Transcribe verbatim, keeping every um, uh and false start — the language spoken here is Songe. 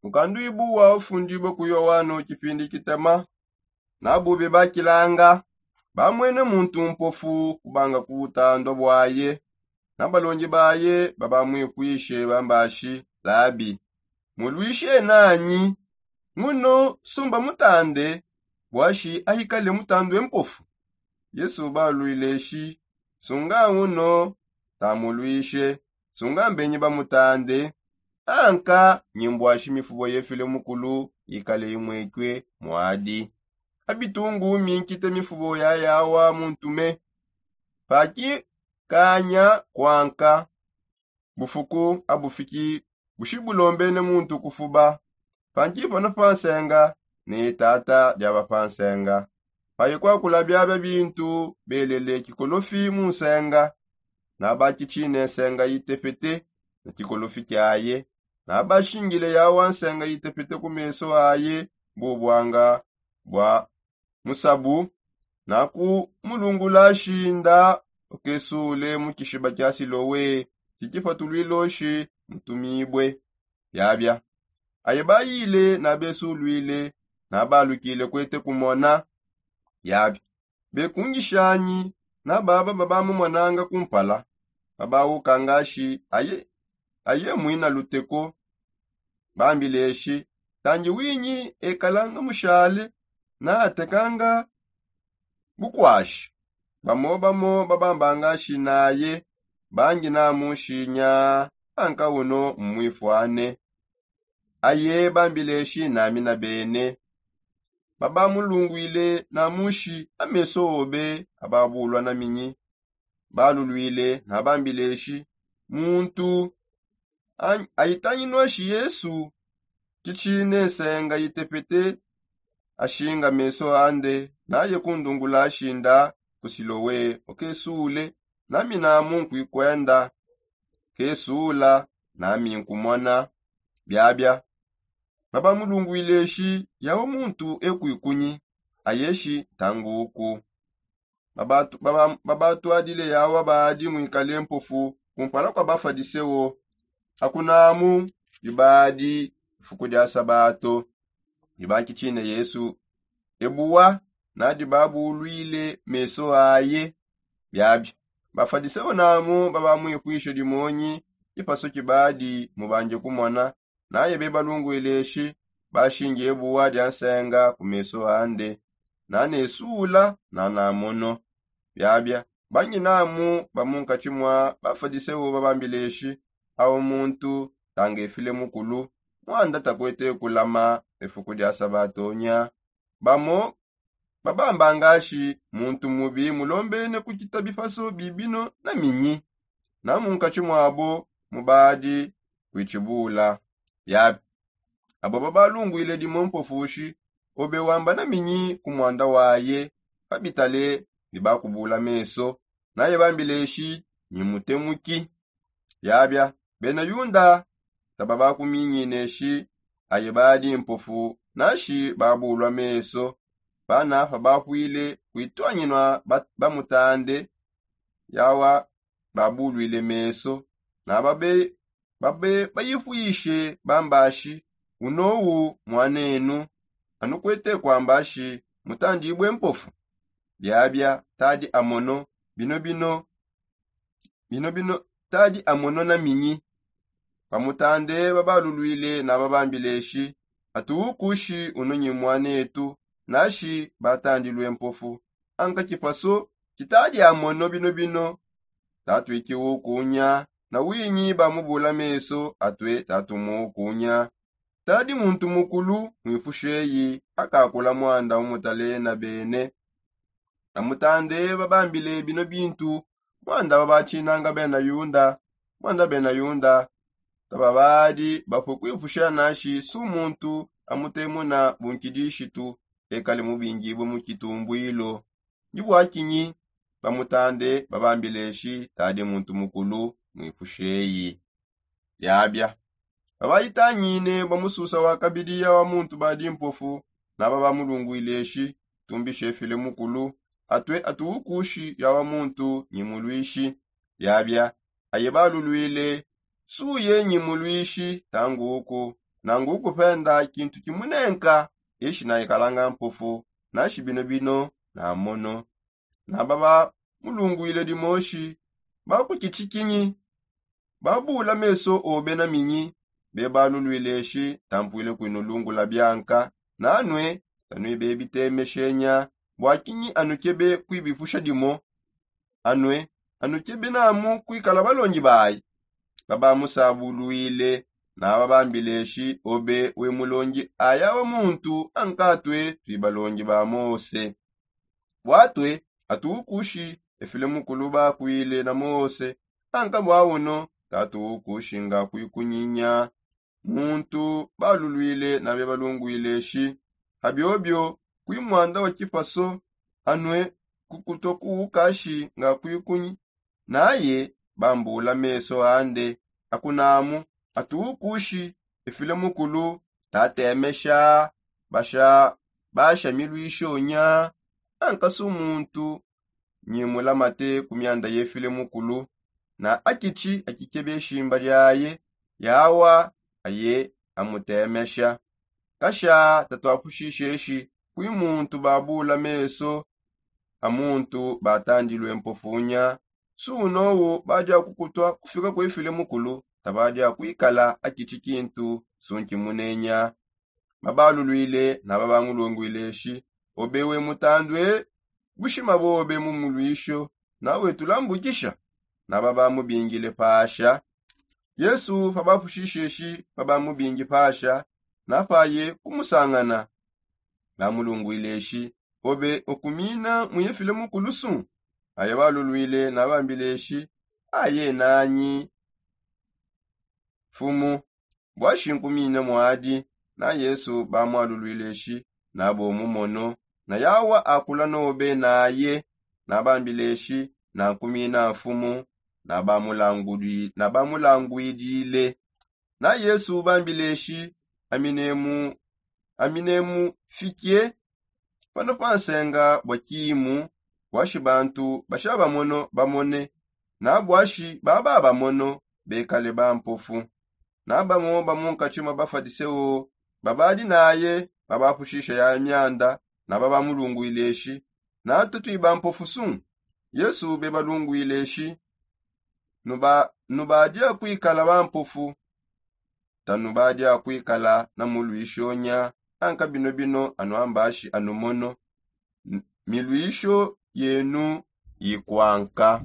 Mukanduibu wa ufundibue ku yohano kipindi kitema. Nabu bebakilanga bamwene muntu mpofu kubanga ku butandua buaye. Na balongi baye babamwipuishe bambashi, labi, muluishe nanyi? Nguno sumba mutande buashi ahikale mutandue mpofu. Yesu baluileshi, sunga nguno, tamuluishe, sunga mbenyi bamutande. Anka nyimbuashi mifubo yefile mukulu yikale imwekue muadi. Abitungu minkite mifubo yayawa muntume. Paki kanya kuanka bufuku abufiki bushi bulombene muntu kufuba. Panki pano pansenga ne tata diaba pansenga. Paye kwakula biabia bintu belele kikolofi mu nsenga. Naba kichine nsenga yitepete na kikolofi kiaye. Naba shingile yawa nsenga yitepete ku meso aye bubwanga bwa musabu. Na kumulungula shinda ukesule mu kishiba kia silowe kikipatulwiloshi mutumibue. Biabia aye bayile na besulwile na balukile kwete kumona. Biabia bekungishanyi na baba babamumonanga kumpala babaukangashi aye aye mwina luteko. Bambileshi, tangi winyi ekalanga mushale na atekanga bukwashi. Bamo bamo babambangashi naye bangi namushinya. Anka uno mmwifwane. Aye bambileshi nami na bene babamulungwile namushi ameso obe ababulwa na minyi. Balulwile na bambileshi muntu ayitanginwashi yesu kichine nsenga yitepete ashinga meso ande naye kundungula ashinda ku silowe okesule nami namu nkwikwenda kesula nami nkumona. Biabia babamulungwile eshi yawo muntu ekwikunyi ayeshi ntanguku. Babatwadile yawa baadi mwikale mpofu kumpala kua bafadiseo akunamu dibadi ifuku dia sabato. Dibakitshine yesu ebuwa nadi babulwile meso aye. Biabi bafadiseo namu babamwipwishe dimonyi kipaso kibadi mubanje kumona. Naye bebalungwile eshi bashinge ebuwa dia nsenga ku meso ande nanesuula nanamono. Biabia bangi namu bamunkatshi mua bafadiseo babambile eshi awo muntu tangefile mukulu muanda takuete kulama efuku dia sabatonya. Bamo babambangashi muntu mubi mulombene kukita bipaso bibino na minyi na munkatshi muabo mubadi kuitshibula. Biabi abo babalungwile dimo mpofushi obe wamba na minyi ku muanda waye. Babitale ne bakubula meso naye bambile eshi nyi mutemuki. Biabia bena yunda taba bakuminyine eshi aye badi mpofu nashi babulwa meso. Bana pabapwile kuitwanyinwa bamutande yawa babulwile meso na babe babe bayipwishe bambashi unowu mwanenu anukwete kwambashi mutandibue mpofu. Biabia tadi amono bino bino bino bino tadi amono na minyi. Bamutande babalulwile na babambile eshi atuwukushi uno nyi mwanetu nashi batandilue mpofu. Anka kipaso kitadi amono bino bino tatwikiwukunya na winyi bamubula meso atue tatumuwukunya. Tadi muntu mukulu mwipusheyi akakula muanda umutalena bene. Amutande babambile bino bintu muanda babatshinanga bena yunda muanda bena yunda tababadi bapue kuipusha nashi su muntu amutemuna bunkidishitu ekale mubingibue mu kitumbuilo. Ndi bua kinyi bamutande babambile eshi tadi muntu mukulu mwipusheyi. Biabia babayitangine bamususa wa kabidi yawa muntu badi mpofu naba bamulungwile eshi tumbishe file mukulu atue atuwukushi yawa muntu nyi mulwishi. Biabia aye balulwile suye nyi mulwishi tanguku. nangu kupenda kintu kimunenka, ishi naikalanga mpofu, nashi bino bino na mono. Naba bamulungwile dimoshi bakukitikinyi, babula meso obe na minyi. Bebalulwile shi tampwile kwinulungula bianka, nanwe tanwi bebitemeshenya. Bwakinyi anukebe kwibipusha dimo? Anwe anukebe namu kwikala balongi bayi? Babamusabulwile, naba bambile shi obe we mulongi aya wa muntu ankatwe twi balongi ba mose. Bwatwe atukushi efile mukulu bakwile na mose, anka bwawuno tatukushi nga kwikunyinya. Muntu balulwile nabe balungwile shi, abiobio kwi mwanda wa kipaso anwe kukutwa kuukashi nga kwikunyi. Naye bambula meso ande akunamu atukushi efile mukulu tatemesha basha basha milwishonya. Ankasu muntu nyimulamate ku myanda yefile mukulu, na akichi akikebe shimba lyaye yawa aye amutemesha. Kasha tatwapushisheshi kwi muntu babula meso a muntu batandilwe mpofunya. Sunowu badia kukutwa kufika kwefile mukulu tabadia kwikala akichi kintu sunki munenya. Babalulwile naba bamulungwile shi, obe we mutandwe bushima bobe mu mulwisho nawe tulambukisha? Naba bamubingile pasha. Yesu pabapushishe shi pabamubingi pasha napaye kumusangana, bamulungwile shi, obe okumina muyefile mukulusu? Aye balulwile nabambile shi, aye nanyi fumu? Bwashi nkumina mwadi? Na yesu bamwalulwile shi, nabo mumono na yawa akula nobe naye. Nabambile shi, nankumina fumu. Nabamulangwidile. Na yesu bambile shi, aminemu aminemu fikie pano pansenga bwa kimu. Bwashi bantu basha bamono bamone na bwashi baba bamono bekale bampofu. Na bamo bamunkatshi mwa bafadiseo babadi naye babapushisha ya myanda naba bamulungwile shi, natu twi bampofu su? Yesu bebalungwile shi, nubadia kwikala bampofu. Tanubadia kwikala na mulwishonya. Anka bino bino anuambashi anumono, milwisho yenu yikwanka.